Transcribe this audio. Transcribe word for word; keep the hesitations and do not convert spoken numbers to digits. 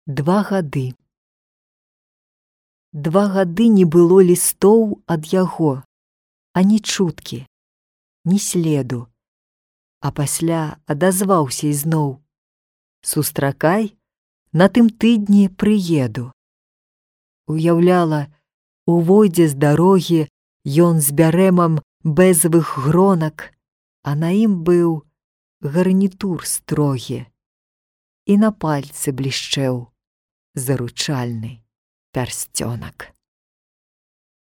Два гады. Два гады не было лістоў ад яго, ані чуткі, ні следу. А пасля адазваўся ізноў: «Сустракай, на тым тыдні прыеду». Уяўляла, увойдзе з дарогі ён з бярэмам бэзавых гронак, а на ім быў гарнітур строгі, і на пальцы блішчэў заручальны пярсцёнак.